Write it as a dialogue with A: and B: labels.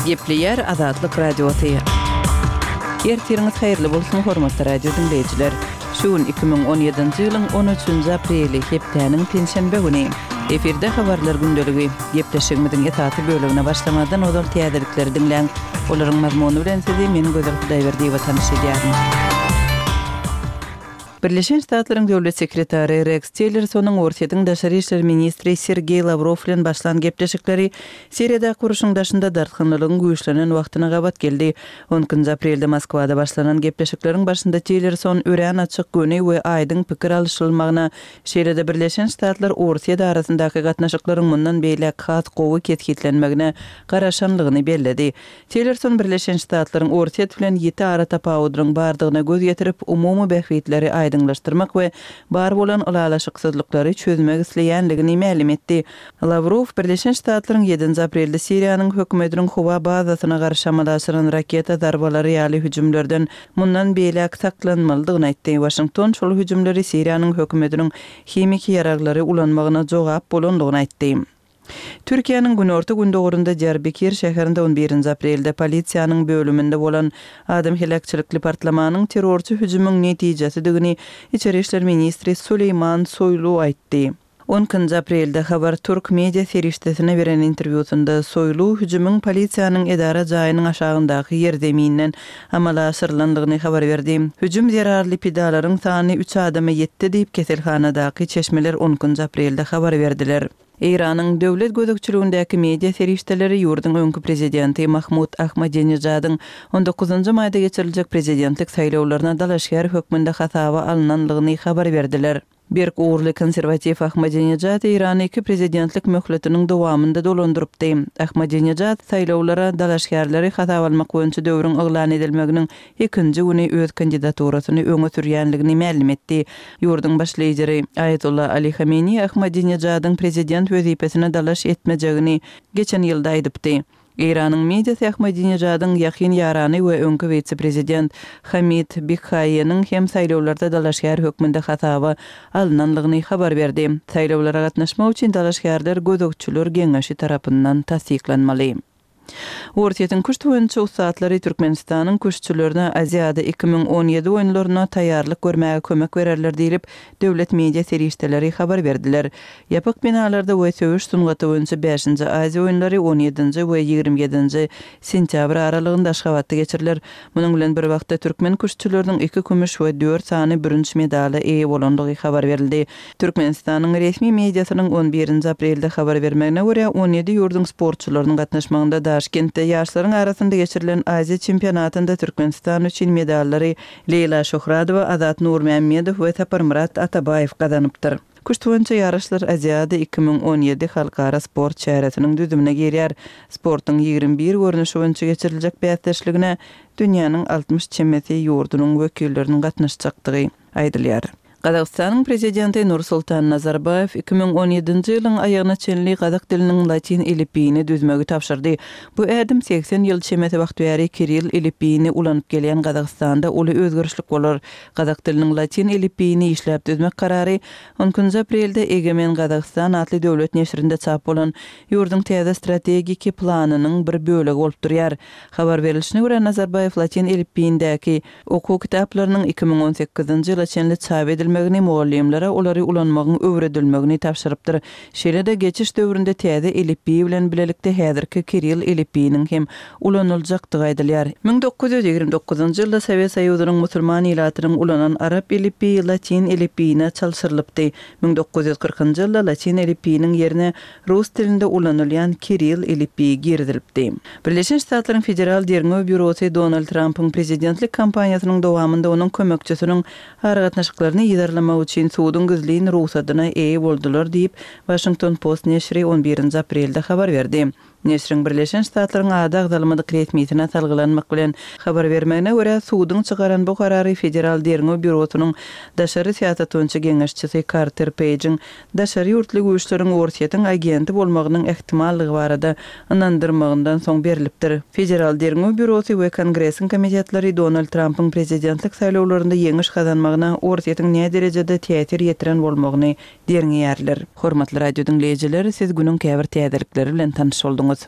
A: Gepleýär Azatlyk Radiosy. Ertiriňiz haýyrly bolsun, hormatly radio diňleýjiler! Şu gün 2017-nji ýylyň on üçünji apreli, hepdäniň penşenbe güni. Efirde Habarlar gündeligi. Gepleşigimiziň esasy bölegine başlamazdan ozal täzelikleri diňläň. Olaryň mazmuny bilen sizi men Gözel Hudaýberdiýewa tanyş edýärin. Birleşen Ştatlaryň Döwlet sekretary Reks Tillersonyň Orsýetiň daşary işler ministri Sergeý Lawrow bilen başlan gepleşikleri Siriýadaky urşuň daşynda dartgynlylygyň güýçlenen wagtyna gabat geldi. On ikinji aprelde Moskwada başlanan gepleşikleriň başynda Tillerson örän açyk, göni we aýdyň pikir alyşylmagyna, şeýle-de Birleşen Ştatlar-Orsýet arasyndaky gatnaşyklaryň mundan beýläk has gowy kesgitlenmegine garaşanlygyny belledi. Tillerson Birleşen Ştatlaryň Orsýet bilen ýiti aratapawudynyň bardygyna göz ýetirip, umumy bähbitleri aýdyňlaşdyrmak we bar bolan ylalaşyksyzlyklary çözmek isleýänligini mälim etdi. Lawrow Birleşen Ştatlaryň ýedinji aprelde Siriýanyň hökümetiniň howa bazasyna garşy amala aşyran raketa zarbalary ýaly hüjümlerden mundan beýläk saklanmalydygyny aýtdy. Waşington şol hüjümleri Siriýanyň hökümetiniň himiki ýaraglary ulanmagyna jogap bolandygyny aýtdy. Türkiýäniň günorta-gündogarynda Diýarbekir şäherinde on birinji aprelde polisiýanyň bölüminde bolan adam heläkçilikli partlamanyň terrorçy hüjümiň netijesidigini içeri işler ministri Suleýman Soýlu aýtdy. On ikinji aprelde Haber Türk media serişdesine beren interwýusynda Soýlu hüjümiň polisiýanyň edara jaýynyň aşagyndaky ýerzeminden amala aşyrylandygyny habar berdi. Hüjüm zerarly pidalaryň sany üç adama ýetdi diýip, keselhanadaky çeşmeler on ikinji aprelde habar berdiler. Eýranyň döwlet gözegçiligindäki media serişdeleri ýurduň öňki prezidenti Mahmud Ahmadinejadyň on dokuzynjy maýda geçiriljek prezidentlik saýlawlaryna dalaşgär hökmünde hasaba alnanlygyny habar berdiler. Berk ugurly konserwatiw Ahmadinejad Eýrany iki prezidentlik möhletiniň dowamynda dolandyrypdy. Ahmadinejad saýlawlara dalaşgärleri hasaba almak boýunça döwrüň yglan edilmeginiň ikinji güni öz kandidaturasyny öňe sürýänligini mälim etdi. Ýurduň baş lideri Aýatolla Ali Hameniý Ahmadinejadyň prezident wezipesine dalaş etmejegini geçen ýylda aýdypdy. Eýranyň mediasy Ahmadinejadyň ýakyn ýarany we öňki wise-prezident Hamid Bikhaýeniň hem saýlawlarda dalaşgär hökmünde hasaba alnanlygyny habar berdi. Saýlawlara gatnaşmak üçin dalaşgärler gözegçiler geňeşi tarapyndan tassyklanmaly. Orsýetiň küşt boýunça ussatlary Türkmenistanyň küştçülerine Aziada 2017 oýunlaryna taýýarlyk görmäge kömek bererler diýlip, döwlet media serişdeleri habar berdiler. Ýapyk binalarda we söweş sungaty boýunça bäşinji Aziýa oýunlary on ýedinji we 27 nji sentýabr aralygynda Aşgabatda geçiriler. Munuň bilen bir wagtda, türkmen küştçüleriniň iki kümüş we dört sany bürünç medala eýe bolandygy habar berildi. Türkmenistanyň resmi mediasynyň on birinji aprelde habar bermegine görä, on ýedi ýurduň sportçylarynyň gatnaşmagynda Daşkentde ýaşlaryň arasynda geçirilen Aziýa çempionatynda Türkmenistan üçin medallary Leýla Şöhradowa, Azat Nurmämmedow we Saparmyrat Atabaýew gazanypdyr. Küşt boýunça ýaryşlar Aziada 2017 halkara sport çäresiniň düzümine girýär. Sportuň 21 görnüşi boýunça geçiriljek bäsdeşligine dünýäniň 60 çemesi ýurdunyň wekilleriniň gatnaşjakdygy aýdylýar. Gazagystanyň Prezidenti Nursultan Nazarbaýew 2017-nji ýylyň aýagyna çenli gazak diliniň latyn elipbiýini düzmegi tabşyrdy. Bu ädim 80 ýyl çemesi wagt bäri kirill elipbiýini ulanyp gelýän Gazagystanda uly özgerişlik bolar. Gazak diliniň latyn elipbiýini işläp düzmek karary on ikinji aprelde Egemen Gazagystan atly döwlet neşirinde çap bolan ýurduň täze strategiki planynyň bir bölegi bolup durýar. Habar berlişine görä, Nazarbaýew latyn elipbiýindäki okuw kitaplarynyň 2018-nji ýyla çenli çap edilmegini, mugallymlara olary ulanmagyň öwredilmegini tabşyrypdyr. Şeýle-de, geçiş döwründe täze elipbiý bilen bilelikde häzirki kirill elipbiýiniň hem ulanyljakdygy aýdylýar. 1929-njy ýylda Sowet Soýuzynyň musulman ilatynyň ulanan arap elipbiýi latyn elipbiýine çalşyrylypdy. 1940-njy ýylda latyn elipbiýiniň ýerine rus dilinde ulanylýan kirill elipbiýi girizilipdi. Birleşen Ştatlaryň Federal derňew býurosy Donald Trampyň prezidentlik kampaniýasynyň dowamynda onuň kömekçisiniň aragatnaşyklaryny yzarlamak üçin suduň gizlin rugsadyna eýe boldular diýip, Washington Post neşiri on birinji aprelde habar berdi. Neşiriň Birleşen Ştatlaryň ady agzalmadyk resmisine salgylanmak bilen habar bermegine görä, suduň çykaran bu karary Federal derňew býurosynyň daşary syýasat boýunça geňeşçisi Karter Peýjiň daşary ýurtly güýçleriň Orsýetiň agenti bolmagynyň ähtimallygy barada ynandyrmagyndan soň berlipdir. Federal derňew býurosy we Kongresiň komitetleri Donald Trampyň prezidentlik saýlawlarynda ýeňiş gazanmagyna Orsýetiň näderejede täsir ýetiren bolmagyny derňeýärler. Hormatly radio diňleýjiler, siz günüň käbir täzelikleri bilen tanyş bolduňyz.